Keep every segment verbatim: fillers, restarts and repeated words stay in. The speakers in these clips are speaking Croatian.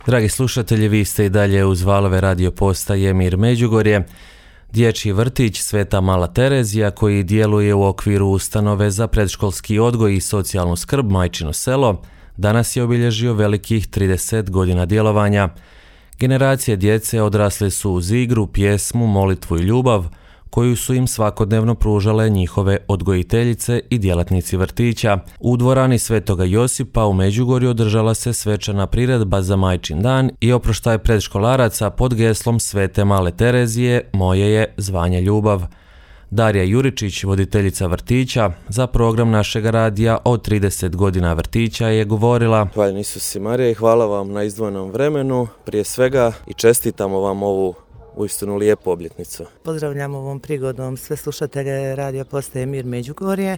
Dragi slušatelji, vi ste i dalje uz valove radio postaje Mir Međugorje. Dječji vrtić Sveta Mala Terezija, koji djeluje u okviru ustanove za predškolski odgoj i socijalnu skrb Majčino selo, danas je obilježio velikih trideset godina djelovanja. Generacije djece odrasle su uz igru, pjesmu, molitvu i ljubav, koju su im svakodnevno pružale njihove odgojiteljice i djelatnici vrtića. U dvorani Svetoga Josipa u Međugorju održala se svečana priredba za Majčin dan i oproštaj predškolaraca pod geslom Svete Male Terezije "Moje je zvanje ljubav". Darija Juričić, voditeljica vrtića, za program našeg radija od trideset godina vrtića je govorila: Hvala Isus i Marija i hvala vam na izdvojenom vremenu, prije svega, i čestitamo vam ovu uistinu lijepu obljetnicu. Pozdravljam ovom prigodom sve slušatelje radio postaje Mir Međugorje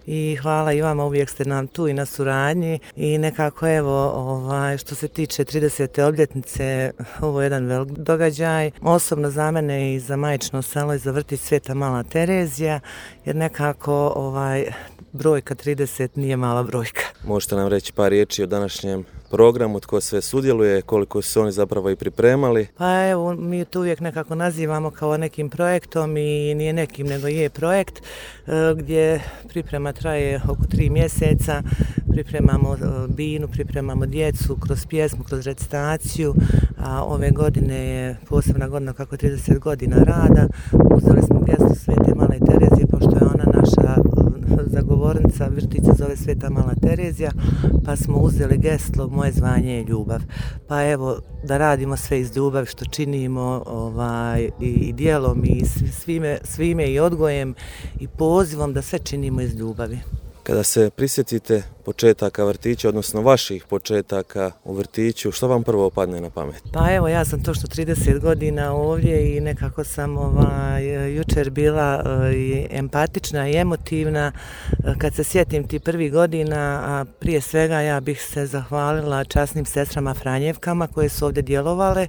i hvala i vama, uvijek ste nam tu i na suradnji i nekako evo ovaj, što se tiče tridesete obljetnice, ovo je jedan velik događaj, osobno za mene i za Majčino selo i za vrtić Sveta Mala Terezija, jer nekako ovaj brojka trideset nije mala brojka. Možete nam reći par riječi o današnjem programu, tko sve sudjeluje, koliko su oni zapravo i pripremali? Pa evo, mi to uvijek nekako nazivamo kao nekim projektom i nije nekim, nego je projekt gdje priprema traje oko tri mjeseca, pripremamo binu, pripremamo djecu kroz pjesmu, kroz recitaciju, a ove godine je posebna godina kako trideset godina rada. Uzeli smo geslo Svete Male Terezije, pošto je ona naša zagovornica, vrtić se zove Sveta Mala Terezija, pa smo uzeli geslo "Moje zvanje je ljubav". Pa evo, da radimo sve iz ljubavi što činimo ovaj, i, i djelom i svime, svime i odgojem i pozivom da sve činimo iz ljubavi. Kada se prisjetite početaka vrtića, odnosno vaših početaka u vrtiću, što vam prvo padne na pamet? Pa evo, ja sam točno trideset godina ovdje i nekako sam ovaj, jučer bila i empatična i emotivna. Kad se sjetim ti prvih godina, a prije svega ja bih se zahvalila časnim sestrama Franjevkama koje su ovdje djelovale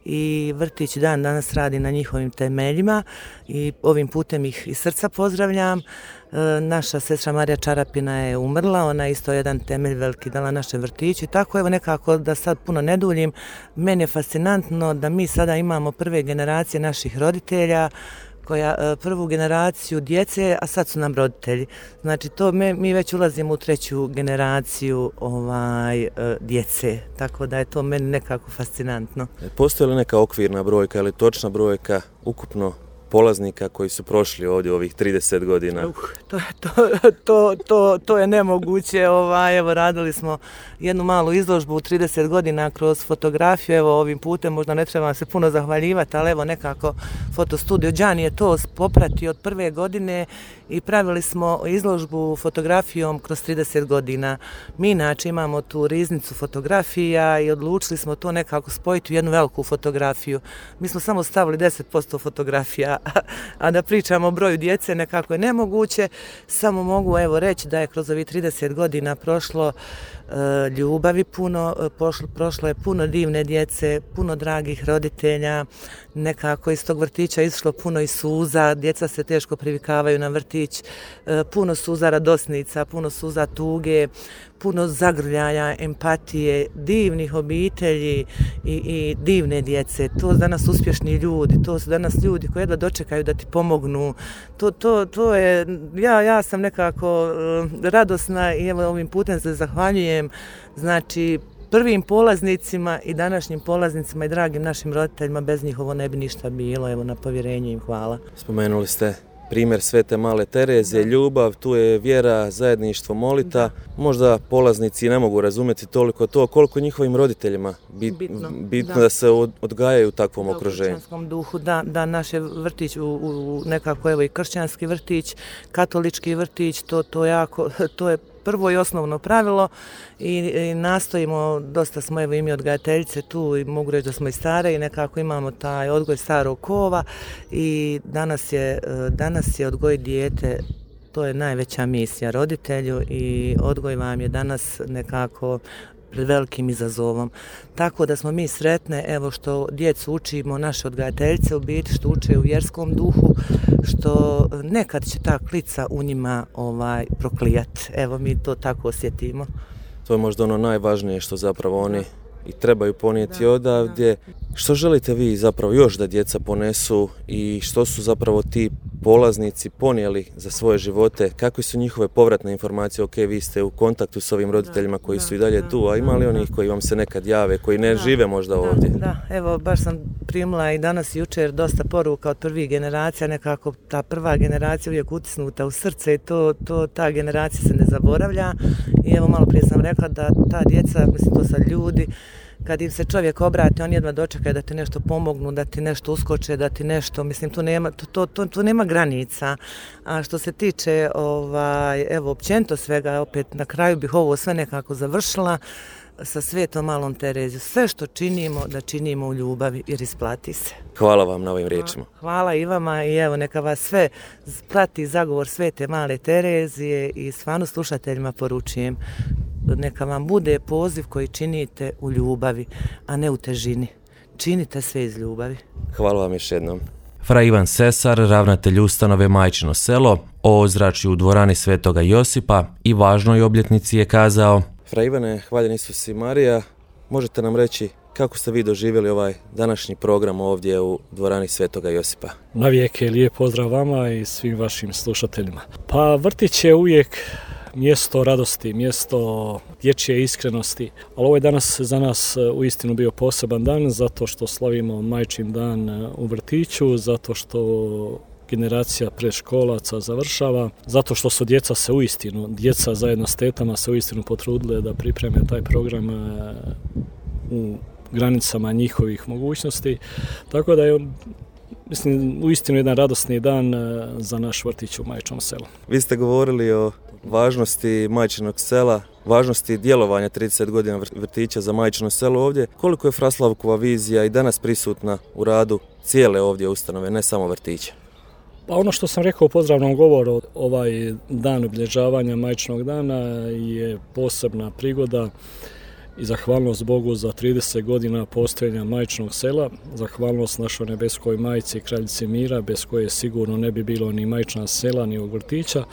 i vrtić dan danas radi na njihovim temeljima i ovim putem ih iz srca pozdravljam. Naša sestra Marija Čarapina je umrla, ona je isto jedan temelj veliki dala našem vrtiću. Tako evo nekako, da sad puno ne duljim, meni je fascinantno da mi sada imamo prve generacije naših roditelja, koja prvu generaciju djece, a sad su nam roditelji. Znači to me, mi već ulazimo u treću generaciju ovaj, djece, tako da je to meni nekako fascinantno. Postoji li neka okvirna brojka ili točna brojka ukupno polaznika koji su prošli ovdje ovih trideset godina? Uh, to, to, to, to, to je nemoguće. Ovaj, evo, radili smo jednu malu izložbu u trideset godina kroz fotografiju. Evo, ovim putem možda ne treba se puno zahvaljivati, ali evo nekako fotostudio Đani je to popratio od prve godine i pravili smo izložbu fotografijom kroz trideset godina. Mi inače imamo tu riznicu fotografija i odlučili smo to nekako spojiti u jednu veliku fotografiju. Mi smo samo stavili deset posto fotografija, a da pričamo o broju djece nekako je nemoguće. Samo mogu evo reći da je kroz ovih trideset godina prošlo e, ljubavi puno, prošlo, prošlo je puno divne djece, puno dragih roditelja, nekako iz tog vrtića išlo puno i suza, djeca se teško privikavaju na vrtić, e, puno suza radosnica, puno suza tuge, puno zagrljaja, empatije, divnih obitelji i, i divne djece. To su danas uspješni ljudi, to su danas ljudi koji jedva dočekaju da ti pomognu. To, to, to je, ja, ja sam nekako uh, radosna i evo ovim putem se zahvaljujem, znači, prvim polaznicima i današnjim polaznicima i dragim našim roditeljima, bez njih ovo ne bi ništa bilo, evo na povjerenje im hvala. Spomenuli ste primjer Svete Male Terezije, ljubav, tu je vjera, zajedništvo, molita. Možda polaznici ne mogu razumjeti toliko to, koliko njihovim roditeljima bit, bitno, bitno da. da se odgajaju u takvom da, okruženju. U kršćanskom duhu, da, da naš je vrtić u, u nekako evo i kršćanski vrtić, katolički vrtić, to, to, jako, to je prvo i osnovno pravilo i, i nastojimo, dosta smo evo i mi odgajateljice tu i mogu reći da smo i stare i nekako imamo taj odgoj starog kova i danas je, danas je odgoj dijete, to je najveća misija roditelju i odgoj vam je danas nekako pred velikim izazovom. Tako da smo mi sretne, evo što djecu učimo, naše odgajateljice u biti, što uče u vjerskom duhu, što nekad će ta klica u njima ovaj, proklijat. Evo mi to tako osjetimo. To je možda ono najvažnije što zapravo oni i trebaju ponijeti da, odavdje. Da. Što želite vi zapravo još da djeca ponesu i što su zapravo ti polaznici ponijeli za svoje živote? Kakve su njihove povratne informacije? Ok, vi ste u kontaktu s ovim roditeljima koji da, su i dalje da, tu, a ima li onih koji vam se nekad jave, koji ne da, žive možda da, ovdje? Da, evo baš sam primila i danas i jučer dosta poruka od prvih generacija, nekako ta prva generacija uvijek utisnuta u srce i to, to ta generacija se ne zaboravlja. I evo malo prije sam rekla da ta djeca, mislim to sad ljudi, kad im se čovjek obrati, on jedva dočekaju da ti nešto pomognu, da ti nešto uskoče, da ti nešto, mislim, tu nema, to, to, to nema granica. A što se tiče, ovaj, evo, općenito svega, opet na kraju bih ovo sve nekako završila sa Svetom Malom Terezijom. Sve što činimo, da činimo u ljubavi jer isplati se. Hvala vam na ovim riječima. Hvala i vama i evo, neka vas sve prati zagovor Svete Male Terezije i stvarno slušateljima poručujem. Neka vam bude poziv koji činite u ljubavi, a ne u težini. Činite sve iz ljubavi. Hvala vam još jednom. Fra Ivan Sesar, ravnatelj ustanove Majčino selo, o ozračju u dvorani Svetoga Josipa i važnoj obljetnici je kazao: Fra Ivane, hvaljen Isus i Marija, možete nam reći kako ste vi doživjeli ovaj današnji program ovdje u dvorani Svetoga Josipa? Navijek je lijep pozdrav vama i svim vašim slušateljima. Pa vrtić je uvijek mjesto radosti, mjesto dječje iskrenosti, ali ovo je danas za nas uistinu bio poseban dan zato što slavimo Majčin dan u vrtiću, zato što generacija predškolaca završava, zato što su djeca se uistinu, djeca zajedno s tetama se uistinu potrudile da pripreme taj program u granicama njihovih mogućnosti, tako da je, mislim, uistinu jedan radosni dan za naš vrtić u Majčinom selu. Vi ste govorili o važnosti Majčinog sela, važnosti djelovanja trideset godina vrtića za Majčino selo ovdje. Koliko je Fraslavkova vizija i danas prisutna u radu cijele ovdje ustanove, ne samo vrtića? Pa ono što sam rekao u pozdravnom govoru, ovaj dan obilježavanja Majčinog dana je posebna prigoda i zahvalnost Bogu za trideset godina postojanja Majčinog sela, zahvalnost našoj nebeskoj majci Kraljici mira, bez koje sigurno ne bi bilo ni Majčina sela, ni ovog vrtića.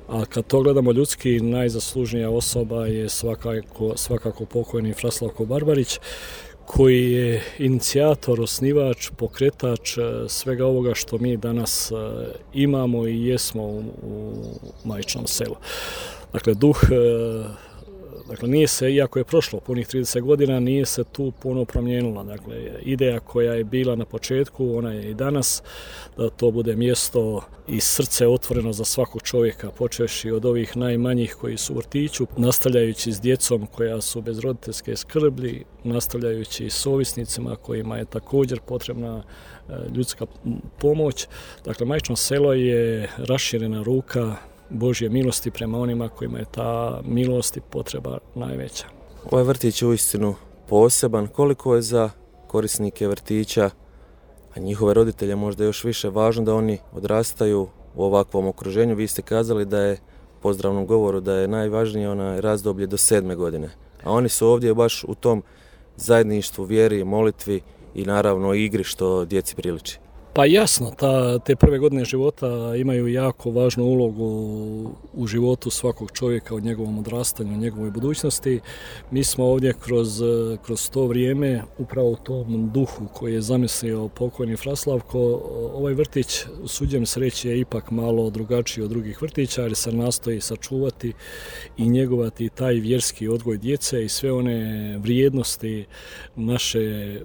A kad to gledamo ljudski, najzaslužnija osoba je svakako, svakako pokojni Fraslavko Barbarić, koji je inicijator, osnivač, pokretač svega ovoga što mi danas imamo i jesmo u, u Majčinom selu. Dakle, duh, dakle, nije se, iako je prošlo punih trideset godina, nije se tu puno promijenilo. Dakle, ideja koja je bila na početku, ona je i danas, da to bude mjesto i srce otvoreno za svakog čovjeka, počevši od ovih najmanjih koji su u vrtiću, nastavljajući s djecom koja su bez roditeljske skrbi, nastavljajući s ovisnicima kojima je također potrebna ljudska pomoć. Dakle, Majčino selo je raširena ruka Božje milosti prema onima kojima je ta milost i potreba najveća. Ovaj vrtić je uistinu poseban. Koliko je za korisnike vrtića, a njihove roditelje možda još više važno da oni odrastaju u ovakvom okruženju? Vi ste kazali da je u pozdravnom govoru da je najvažnije ona razdoblje do sedme godine. A oni su ovdje baš u tom zajedništvu, vjeri, molitvi i naravno igri što djeci priliči. Pa jasno, ta, te prve godine života imaju jako važnu ulogu u životu svakog čovjeka, u njegovom odrastanju, u njegovoj budućnosti. Mi smo ovdje kroz, kroz to vrijeme, upravo u tom duhu koji je zamislio pokojni Fraslavko, ovaj vrtić, usuđujem se reći, je ipak malo drugačiji od drugih vrtića, jer se nastoji sačuvati i njegovati taj vjerski odgoj djece i sve one vrijednosti naše,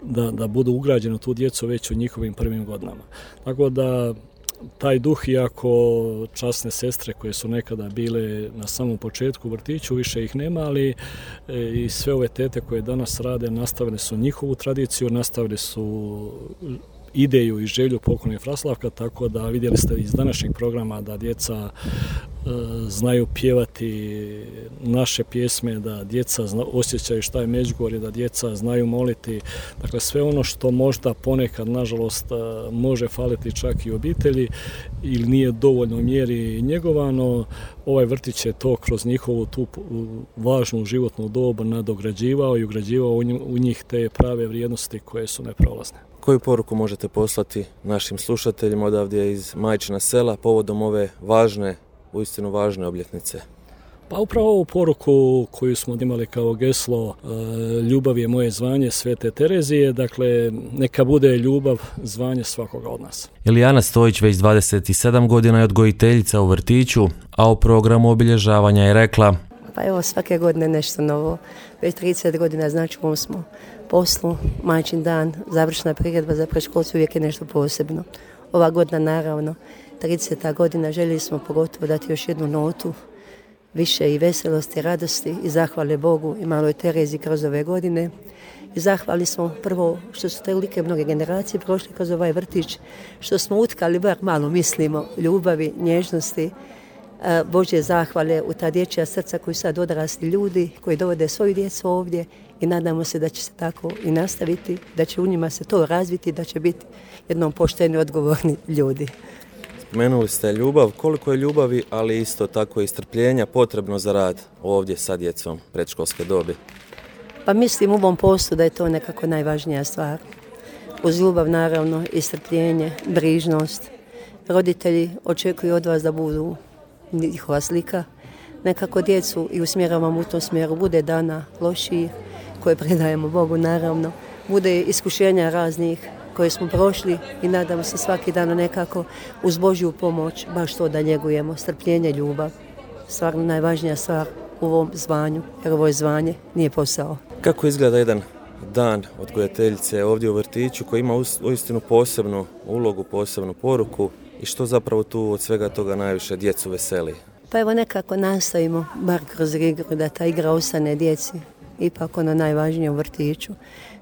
Da, da budu ugrađene u tu djecu već u njihovim prvim godinama. Tako da taj duh, iako časne sestre koje su nekada bile na samom početku u vrtiću, više ih nema, ali e, i sve ove tete koje danas rade nastavili su njihovu tradiciju, nastavili su ideju i želju pokojnog Fraslavka, tako da vidjeli ste iz današnjeg programa da djeca e, znaju pjevati naše pjesme, da djeca zna, osjećaju šta je Međugorje, da djeca znaju moliti. Dakle, sve ono što možda ponekad, nažalost, može faliti čak i obitelji ili nije dovoljno mjeri njegovano, ovaj vrtić je to kroz njihovu tu važnu životnu dobu nadograđivao i ugrađivao u njih te prave vrijednosti koje su neprolazne. Koju poruku možete poslati našim slušateljima odavdje iz Majčina sela povodom ove važne, uistinu važne obljetnice? Pa upravo ovu poruku koju smo imali kao geslo ljubav je moje zvanje Svete Terezije, dakle neka bude ljubav zvanje svakoga od nas. Ilijana Stojić već dvadeset sedam godina je odgojiteljica u vrtiću, a o programu obilježavanja je rekla: Pa evo, svake godine nešto novo. Već trideset godina znači u ovom smo poslu, majčin dan, završna priredba za predškolce uvijek je nešto posebno. Ova godina naravno, trideseta godina, željeli smo pogotovo dati još jednu notu, više i veselosti, radosti i zahvale Bogu i maloj Terezi kroz ove godine. I zahvali smo prvo što su tolike mnoge generacije prošli kroz ovaj vrtić, što smo utkali, bar malo mislimo, ljubavi, nježnosti, Božje zahvale u ta dječja srca koji sad odrasli ljudi, koji dovode svoju djecu ovdje i nadamo se da će se tako i nastaviti, da će u njima se to razviti, da će biti jednom pošteni, odgovorni ljudi. Spomenuli ste ljubav, koliko je ljubavi, ali isto tako i strpljenja potrebno za rad ovdje sa djecom predškolske dobi? Pa mislim u ovom poslu da je to nekako najvažnija stvar. Uz ljubav naravno i strpljenje, brižnost. Roditelji očekuju od vas da budu njihova slika. Nekako djecu i usmjeravamo u tom smjeru. Bude dana loših koje predajemo Bogu naravno. Bude iskušenja raznih koje smo prošli i nadamo se svaki dan nekako uz Božju pomoć baš to da njegujemo. Strpljenje, ljubav. Stvarno najvažnija stvar u ovom zvanju, jer ovo je zvanje, nije posao. Kako izgleda jedan dan odgojiteljice ovdje u vrtiću koji ima uistinu posebnu ulogu, posebnu poruku i što zapravo tu od svega toga najviše djecu veseli? Pa evo nekako nastavimo, bar kroz igru, da ta igra ostane djeci, ipak ono najvažnije u vrtiću.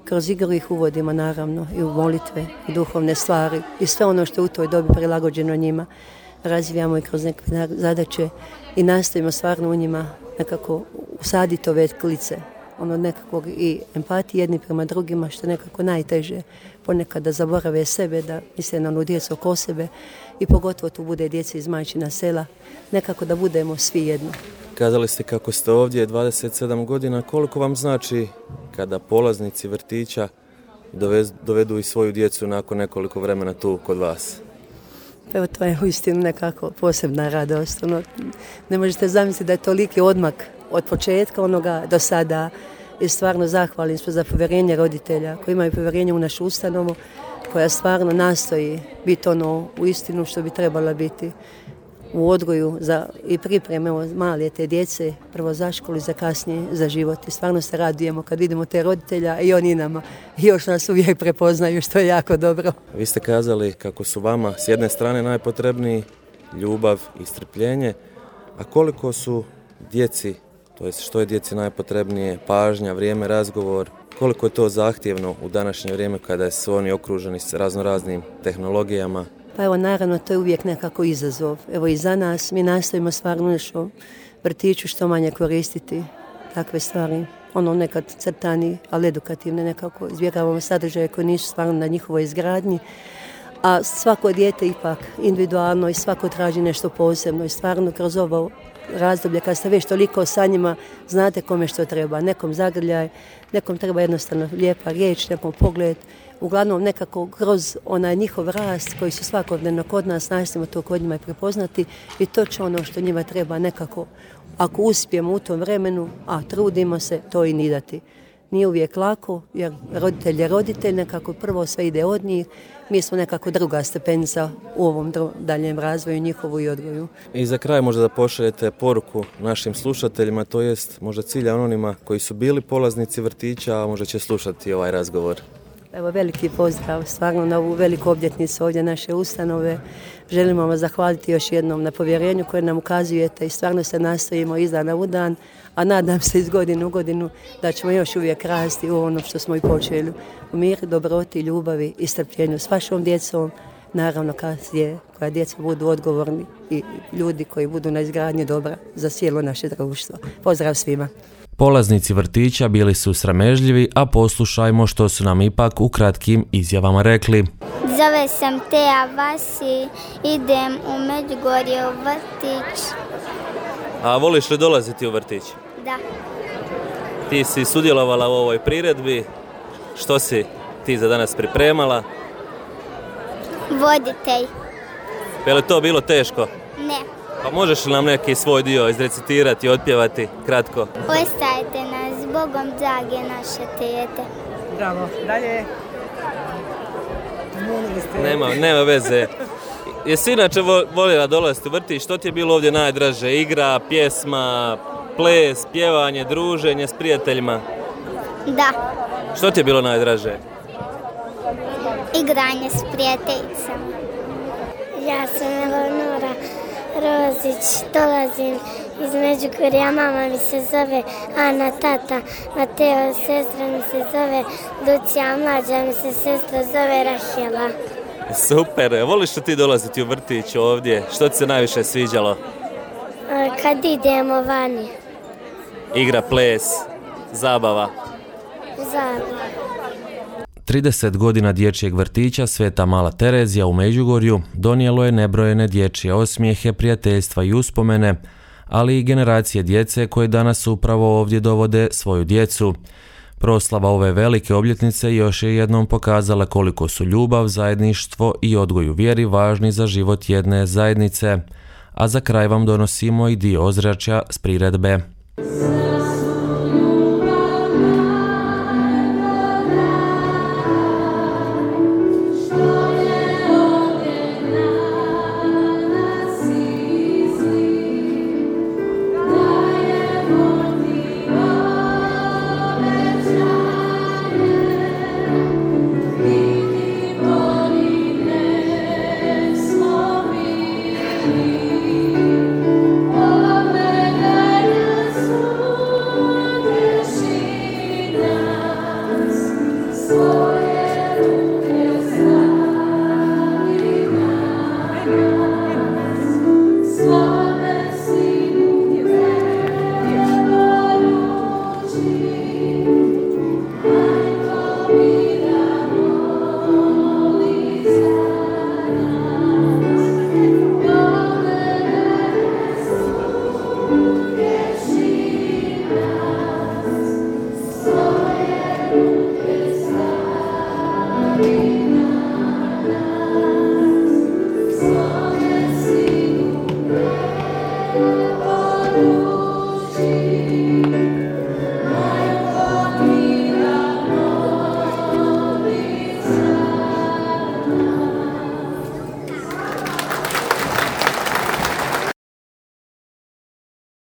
Kroz igru ih uvodimo naravno i u molitve, i duhovne stvari i sve ono što je u toj dobi prilagođeno njima. Razvijamo i kroz neke zadaće i nastavimo stvarno u njima nekako usaditi ove klice, ono nekakvog i empatije jedni prema drugima, što nekako najteže ponekad da zaborave sebe, da misle na onu djecu oko sebe i pogotovo tu bude djece iz majčina sela, nekako da budemo svi jedno. Kazali ste kako ste ovdje dvadeset sedam godina, koliko vam znači kada polaznici vrtića dovedu i svoju djecu nakon nekoliko vremena tu kod vas? Evo, to je uistinu nekako posebna radost. Ono, ne možete zamisliti da je toliki odmak od početka onoga do sada i stvarno zahvalim smo za povjerenje roditelja koji imaju povjerenje u našu ustanovu, koja stvarno nastoji biti ono u istinu što bi trebala biti u odgoju za, i pripreme male te djece, prvo za školu i za kasnije za život. I stvarno se radujemo kad vidimo te roditelja i oni nama još nas uvijek prepoznaju, što je jako dobro. Vi ste kazali kako su vama s jedne strane najpotrebniji ljubav i strpljenje, a koliko su djeci, to jest što je djeci najpotrebnije, pažnja, vrijeme, razgovor, koliko je to zahtjevno u današnje vrijeme kada su oni okruženi s raznoraznim tehnologijama? Pa evo, naravno, to je uvijek nekako izazov. Evo i za nas, mi nastavimo stvarno nešto vrtiću što manje koristiti takve stvari. Ono nekad crtani, ali edukativne nekako. Izbjegavamo sadržaje koji nisu stvarno na njihovoj izgradnji. A svako dijete ipak individualno i svako traži nešto posebno. I stvarno kroz ovo razdoblje kad ste već toliko sa njima, znate kome što treba. Nekom zagrljaj, nekom treba jednostavno lijepa riječ, nekom pogled. Uglavnom nekako kroz onaj njihov rast koji su svakodnevno kod nas, nastojimo to kod njima prepoznati i to će ono što njima treba nekako, ako uspijemo u tom vremenu, a trudimo se, to i ni dati. Nije uvijek lako, jer roditelj je roditelj, nekako prvo sve ide od njih, mi smo nekako druga stepenica u ovom daljem razvoju njihovu i odgoju. I za kraj možda da pošaljete poruku našim slušateljima, to jest možda cilja onima koji su bili polaznici vrtića, a možda će slušati ovaj razgovor. Evo, veliki pozdrav stvarno na ovu veliku obljetnicu ovdje naše ustanove. Želimo vam zahvaliti još jednom na povjerenju koje nam ukazujete i stvarno se nastojimo iz dana u dan, a nadam se iz godine u godinu da ćemo još uvijek rasti u ono što smo i počeli. U miru, dobroti, ljubavi i strpljenju s vašom djecom, naravno kasnije koja djeca budu odgovorni i ljudi koji budu na izgradnji dobra za cijelo naše društvo. Pozdrav svima! Polaznici vrtića bili su sramežljivi, a poslušajmo što su nam ipak u kratkim izjavama rekli. Zove sam Teja Vasi, idem u Međugorje u vrtić. A voliš li dolaziti u vrtić? Da. Ti si sudjelovala u ovoj priredbi. Što si ti za danas pripremala? Voditelj. Je li to bilo teško? Ne. Pa možeš li nam neki svoj dio izrecitirati, otpjevati kratko? Ostajte nas, s Bogom drage naše tete. Bravo, dalje. Nema, nema veze. Jesi inače voljela dolaziti u vrtić? Što ti je bilo ovdje najdraže? Igra, pjesma, ples, pjevanje, druženje s prijateljima? Da. Što ti je bilo najdraže? Igranje s prijateljicama. Ja sam Eleonora Rozić, dolazim iz Međugorja, mama mi se zove Ana, tata Mateo, sestra mi se zove Lucija, mlađa mi se sestra zove Rahela. Super, voliš li ti dolaziti u vrtić ovdje? Što ti se najviše sviđalo? Kad idemo vani. Igra, ples, zabava. Zabava. trideset godina dječjeg vrtića Sveta Mala Terezija u Međugorju donijelo je nebrojene dječje osmijehe, prijateljstva i uspomene, ali i generacije djece koje danas upravo ovdje dovode svoju djecu. Proslava ove velike obljetnice još je jednom pokazala koliko su ljubav, zajedništvo i odgoj u vjeri važni za život jedne zajednice. A za kraj vam donosimo i dio ozračja s priredbe. Yeah.